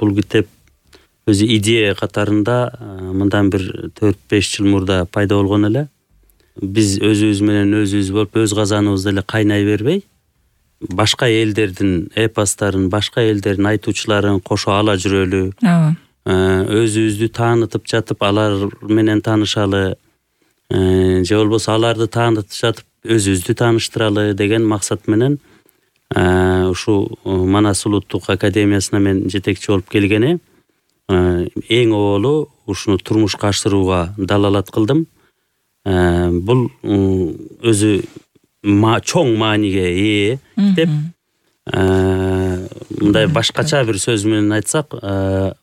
бул китеп өзү идея катарында мындан бир 4-5 жыл мурда пайда болгон эле. Биз өзүбүз менен өзүбүз болуп, өз казаныбызда эле кайнай бербей, башка элдердин эпосторун, башка элдердин айтуучуларын кошо ала жүрөлү. Өзүбүздү таанытып жатып, алар менен таанышалы, же болбосо аларды таанытып жатып, өзүбүздү тааныштыралы деген максат менен ушу Манас улуттук академиясына мен жетекчи болуп келгени. Эң оболу ушуну турмушка ашырууга далалат кылдым. Бул өзү чоң мааниге ээ деп, мындай башкача бир сөз менен айтсак,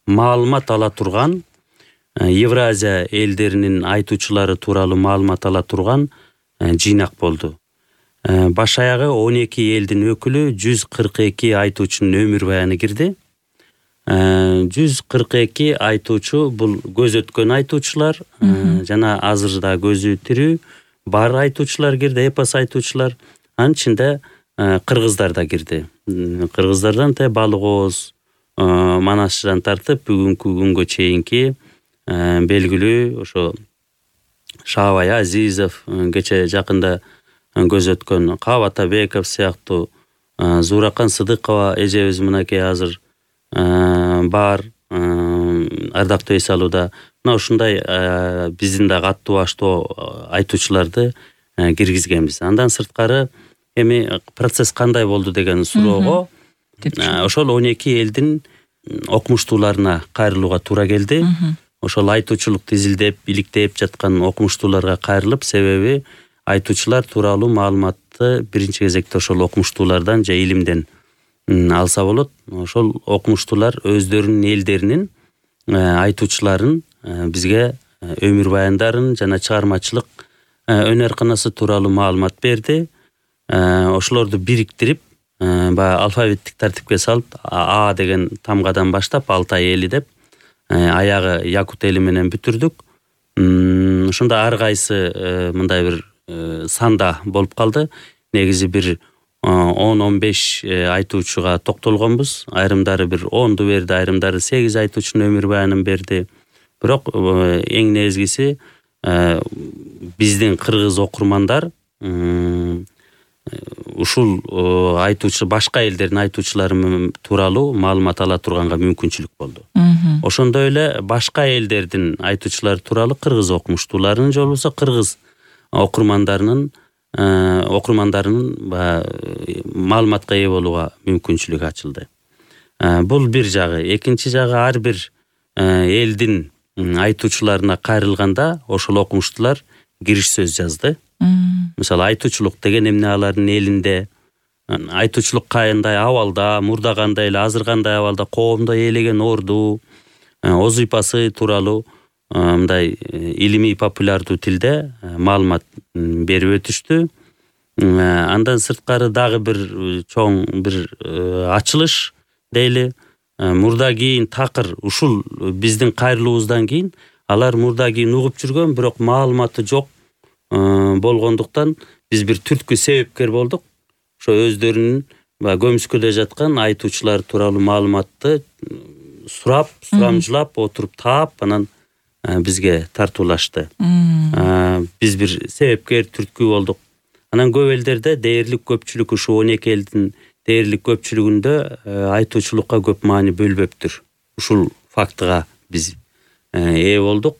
маалымат ала турган, Евразия элдеринин айтуучулары тууралуу маалымат ала турган жыйнак болду. Баш аягы 12 элдин өкүлү, 142 айтуучунун өмүр баяны кирди. 142 айтуучу бул көз өткөн айтуучулар, жана азыр да көзү тирүү бар айтуучулар кирди, эпос айтуучулар. Анын ичинде кыргыздар да кирди. Кыргыздардан Балык Ооз, Манасчыдан тартып бүгүнкү күнгө чейинки белгилүү ошо Шаабай Азизов, кече жакында көз өткөн Кабат Атабеков сыяктуу, Зууракан Сыдыкова эжебиз мынакей азыр бар, ардактуу эс алууда. Мына ушундай биздин да катуу баштуу айтуучуларды киргизгенбиз. Андан сырткары эми процесс кандай болду деген суроого ошол 12 элдин окумуштууларына кайрылууга туура келди. Ошол айтуучулукту изилдеп, иликтеп жаткан окумуштууларга кайрылып, себеби айтуучулар тууралуу маалыматты биринчи кезекте ошол окумуштуулардан же илимден алса болот. Ошол окумуштуулар өздөрүнүн элдеринин айтуучуларын бизге өмүр баяндарын жана чыгармачылык өнөр канасы тууралуу маалымат берди. Ошолорду бириктирип, баягы алфавиттик тартипке салып, А деген тамгадан баштап Алтай эли деп, аягы якут эли менен бүтүрдүк. Ошондо ар кайсы мындай бир санда болуп калды. Негизи бир 10-15 айтуучуга токтолгонбуз. Айрымдары бир 10ду берди, айрымдары 8 айтуучунун өмүр баянын берди. Бирок эң негизгиси биздин кыргыз окурмандар ушул айтуучу башка элдердин айтуучулары тууралуу маалымат ала турганга мүмкүнчүлүк болду. Ошондой эле башка элдердин айтуучулары тууралуу кыргыз окумуштууларынын же болбосо кыргыз окурмандарынын маалыматка ээ болууга мүмкүнчүлүк ачылды. Бул бир жагы. Экинчи жагы, ар бир элдин айтуучуларына кайрылганда ошол окумуштуулар кириш сөз жазды. Мисалы, айтуучулук деген эмне алардын элинде, айтуучулук кандай абалда, мурда кандай эле, азыр кандай абалда, коомдо ээлеген орду, озуйпасы тууралуу мындай илимий популярдуу тилде маалымат берип өтүштү. Андан сырткары дагы бир чоң бир ачылыш дейли. Мурда кийин такыр ушул биздин кайрылуубуздан кийин алар мурда кийин угуп жүргөн, бирок маалыматы жок болгондуктан биз бир түрткү себепкер болдук. Ошо өздөрүнүн көмүскөдө жаткан айтуучулар тууралуу маалыматты сурамжылап отуруп таап, анан бизге тартуулашты. Биз бир себепкер, түрткү болдук. Анан көп элдерде дээрлик көпчүлүк, ушу 12 элдин дээрлик көпчүлүгүндө айтуучулукка көп маани бөлбөптүр. Ушул фактыга биз ээ болдук.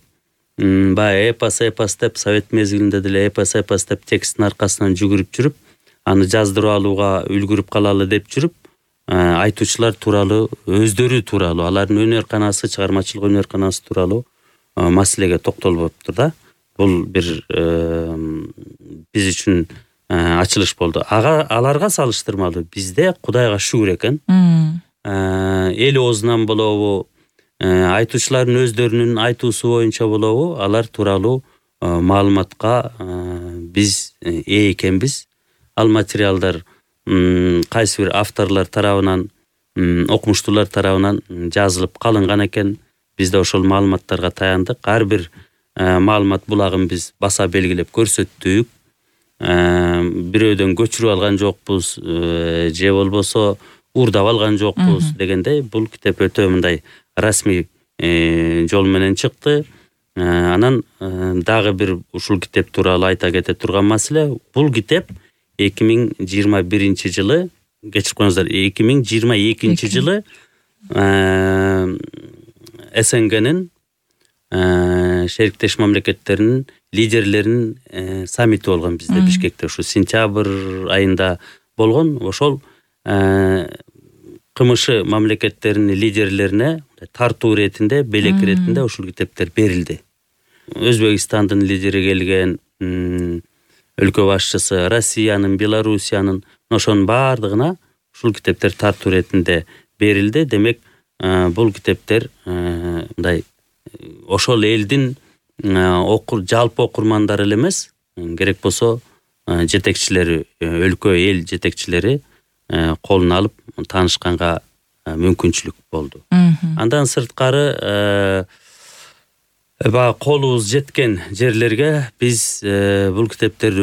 Баягы эпос деп, совет мезгилинде деле эпос деп тексттин аркасынан жүгүрүп жүрүп, аны жаздырып алууга үлгүрүп калалы деп жүрүп, айтуучулар тууралуу, өздөрү тууралуу, алардын өнөр канасы, чыгармачылык өнөр канасы тууралуу маселеге токтолбоптур да. Бул бир биз үчүн ачылыш болду. Аларга салыштырмалуу бизде Кудайга шүгүр экен. Эл оозунан болобу, айтуучулардын өздөрүнүн айтуусу боюнча болобу, алар тууралуу маалыматка биз ээ экенбиз. Ал материалдар кайсы бир авторлор тарабынан, окумуштуулар тарабынан жазылып калынган экен. Биз да ошол маалыматтарга таяндык. Ар бир маалымат булагын биз баса белгилеп көрсөттүк. Бирөөдөн көчүрүп алган жокпуз, же болбосо уурдап алган жокпуз дегендей бул китеп өтө мындай расмий жол менен чыкты. Анан дагы бир ушул китеп тууралуу айта кете турган маселе, бул китеп 2021 жылы, кечирип коюңуздар, 2022 жылы СНГнин шериктеш мамлекеттеринин лидерлеринин саммити болгон бизде Бишкекте, ушу сентябрь айында болгон. Ошол КМШ мамлекеттеринин лидерлерине тартуу иретинде, белек иретинде ушул китептер берилди. Өзбекстандын лидери келген, өлкө башчысы, Россиянын, Белоруссиянын, ошонун баардыгына ушул китептер тартуу иретинде берилди. Демек, бул китептер мындай ошол элдин жалпы окурмандары эле эмес, керек болсо жетекчилери, өлкө эл жетекчилери колуна алып таанышканга мүмкүнчүлүк болду. Андан сырткары баягы колубуз жеткен жерлерге биз бул китептерди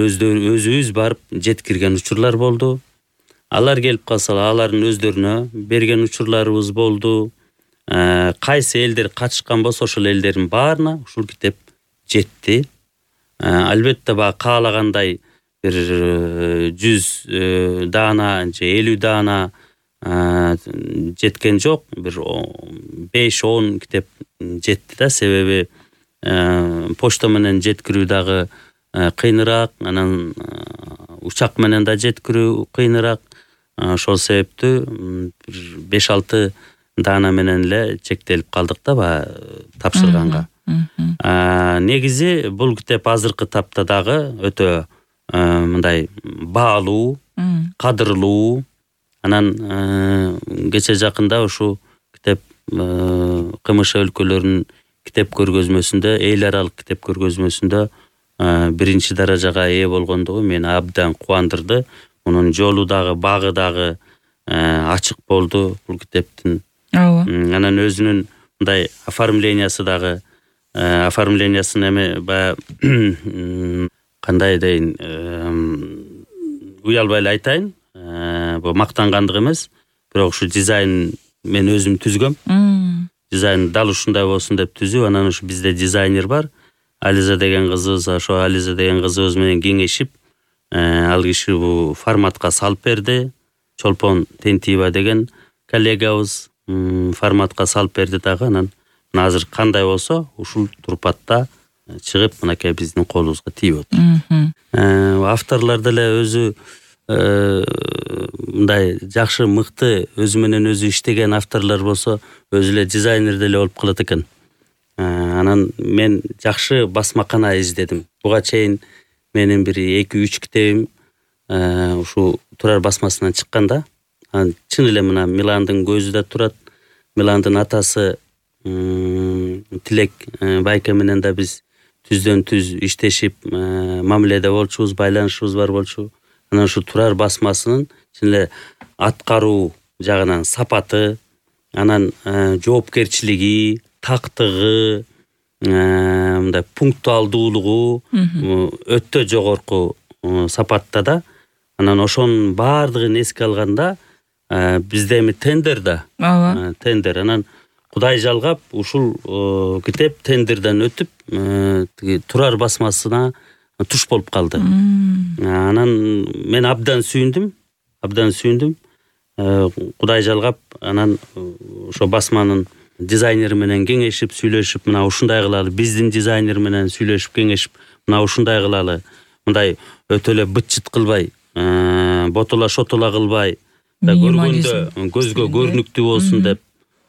өзүбүз барып жеткирген учурлар болду. Алар келип калса, алардын өздөрүнө берген учурларыбыз болду. Кайсы элдер катышкан болсо, ошол элдердин баарына ушул китеп жетти. Албетте баягы каалагандай бир 100 даана же 50 даана жеткен жок, бир 5-10 китеп жетти да, себеби почта менен жеткирүү дагы кыйыныраак, анан учак менен да жеткирүү кыйыныраак. Ошол себептүү 5-6 даана менен эле чектелип калдык да баягы тапшырганга. Негизи бул китеп азыркы тапта дагы өтө мындай баалуу, кадырлуу. Анан кече жакында ушу китеп КМШ өлкөлөрүнүн китеп көргөзмөсүндө, эл аралык китеп көргөзмөсүндө 1-чи даражага ээ болгондугу мени абдан кубандырды. Мунун жолу дагы, багы дагы ачык болду бул китептин. Анан өзүнүн мындай оформлениясы дагы, оформлениясын эме баягы кандай дейин, уялбай эле айтайын, бул мактангандык эмес, бирок ушу дизайн мен өзүм түзгөм. Дизайн дал ушундай болсун деп түзүп, анан ушу бизде дизайнер бар, Ализа деген кызыбыз, ошо Ализа деген кызыбыз менен кеңешип, ал киши бул форматка салып берди. Чолпон Тентиева деген коллегабыз форматка салып берди дагы. Анан азыр кандай болсо ушул турпатта чыгып, мынакей биздин колубузга тийип отур. Авторлор деле өзү мындай жакшы, мыкты, өзү менен өзү иштеген авторлор болсо, өзү эле дизайнер деле болуп калат экен. Анан мен жакшы басмакана издедим. Буга чейин менин бир 2-3 китебим ушу Турар басмасынан чыккан да. Чын эле мына Миландын көзү да турат. Миландын атасы Тилек байке менен да биз түздөн түз иштешип, мамиледе болчубуз, байланышыбыз бар болчу. Анан ушу Турар басмасынын чын эле аткаруу жагынан сапаты, анан жоопкерчилиги, тактыгы, мындай пунктуалдуулугу өтө жогорку сапатта да. Анан ошонун баардыгын эске алганда бизде эми тендер да. Тендер. Анан Кудай жалгап ушул китеп тендерден өтүп, Турар басмасына туш болуп калды. Анан мен абдан сүйүндүм. Кудай жалгап, анан ошо басманын дизайнери менен кеңешип, сүйлөшүп, мына ушундай кылалы, биздин дизайнер менен сүйлөшүп, кеңешип, мына ушундай кылалы, мындай өтө эле быт-чыт кылбай, ботола-шотола кылбай, көргөндө көзгө көрүнүктүү болсун деп.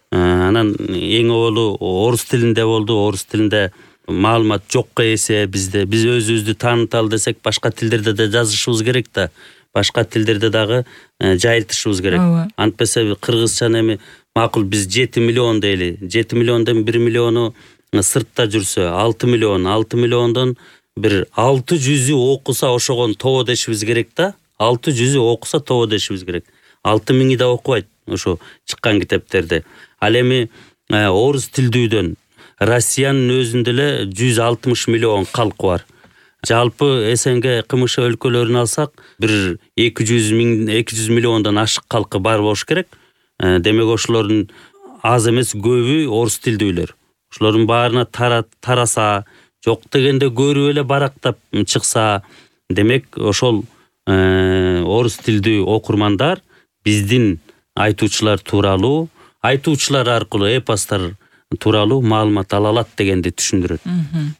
Анан эң оболу орус тилинде болду. Орус тилинде маалымат жокко эсе бизде. Биз өзүбүздү тааныталы десек, башка тилдерде да жазышыбыз керек да. Башка тилдерде дагы жайылтышыбыз керек. Антпесе кыргызчаны эми макул биз 7 миллион дейли. 7 миллиондон 1 миллиону сыртта жүрсө, 6 миллиондон бир 600'ü окуса ошогон тобо дешибиз керек да. 600'ü окуса тобо дешибиз керек. 6000'i да окубайт ошо чыккан китептерди. Ал эми орус тилдүүдөн Россиянын өзүндө эле 160 миллион калкы бар. Жалпы СНГ КМШ өлкөлөрүн алсак, бир 200 миллиондон ашык калкы бар болуш керек. Демек ошолордун аз эмес көбү орус тилдүүлөр. Ошолордун баарына тараса, жок дегенде көрүп эле барактап чыкса, демек ошол орус тилдүү окурмандар биздин айтуучулар тууралуу, айтуучулар аркылуу эпостор тууралуу маалымат ала алат дегенди түшүндүрөт.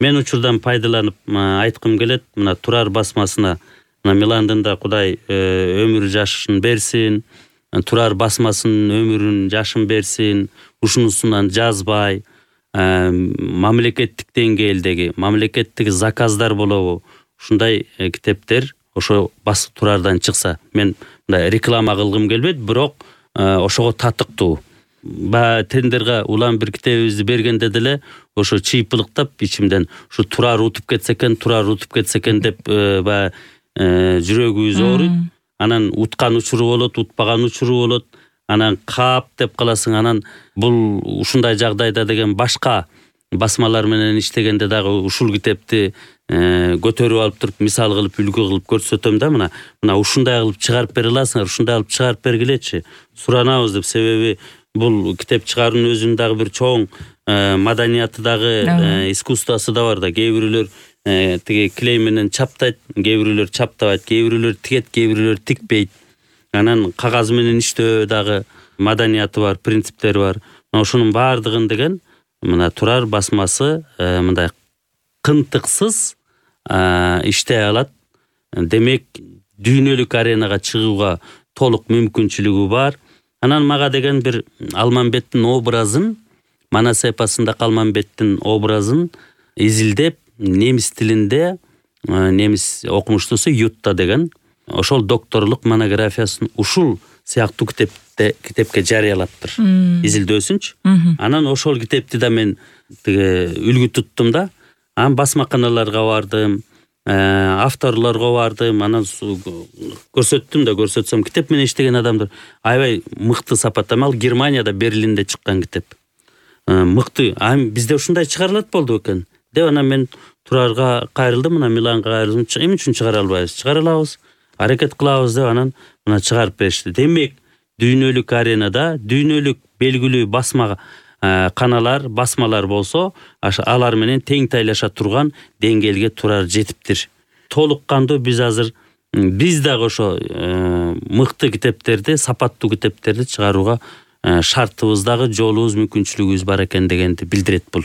Мен учурдан пайдаланып айткым келет, мына Турар басмасына, мына Миландын да Кудай өмүр жашын берсин, Турар басмасынын өмүрүн жашын берсин, ушунусунан жазбай, мамлекеттик деңгээлдеги, мамлекеттик заказдар болобу, ушундай китептер ошо Турардан чыкса. Мен мындай реклама кылгым келбейт, бирок ошого татыктуу. Тендерге улам бир китебибизди бергенде деле ошо чыйпылыктап ичимден ушу Турар утуп кетсе экен деп жүрөгүбүз ооруйт. Анан уткан учуру болот, утпаган учуру болот. Анан кап деп каласың. Анан бул ушундай жагдайда деген башка басмалар менен иштегенде дагы ушул китепти көтөрүп алып туруп мисал кылып үлгү кылып көрсөтөм да, мына ушундай кылып чыгарып бере аласыңар, ушундай кылып чыгарып бергилечи, суранабыз деп. Себеби бул китеп чыгаруунун өзүнүн дагы бир чоң маданияты дагы, искусствосу да бар да. Кээ бирөөлөр тиги клей менен чаптайт, кээ бирөөлөр чаптабайт, кээ бирөөлөр тигет, кээ бирөөлөр тикпейт. Анан кагаз менен иштөө дагы маданияты бар, принциптери бар. Ошонун баардыгын деген мына Турар басмасы мындай кынтыксыз иштей алат. Демек дүйнөлүк аренага чыгууга толук мүмкүнчүлүгү бар. Анан мага деген бир Алмамбеттин образын, Манас эпосунда Алмамбеттин образын изилдеп, немис тилинде, немис окумуштуусу Ютта деген ошол докторлук монографиясын ушул сыяктуу китепке жарыялаптыр. Изилдөөсүнчү. Анан ошол китепти да мен үлгү туттум да. Анан басмаканаларга бардым, авторлорго бардым, анан көрсөтсөм китеп менен иштеген адамдар аябай мыкты сапаттамал. Ал Германияда, Берлинде чыккан китеп. Мыкты. Бизде ушундай чыгарылат болду экен деп анан мен Турарга кайрылдым, мына Миланга кайрылдым. Эмне үчүн чыгара албайбыз? Чыгара алабыз. Аракет кылабыз деп анан мына чыгарып беришти. Демек дүйнөлүк аренада дүйнөлүк белгилүү басма каналар, басмалар болсо, алар менен тең тайлаша турган деңгээлге Турар жетиптир. Толук кандуу биз азыр биз дагы ошо мыкты китептерди, сапаттуу китептерди чыгарууга шартыбыз дагы, жолубуз, мүмкүнчүлүгүбүз бар экен дегенди билдирет бул.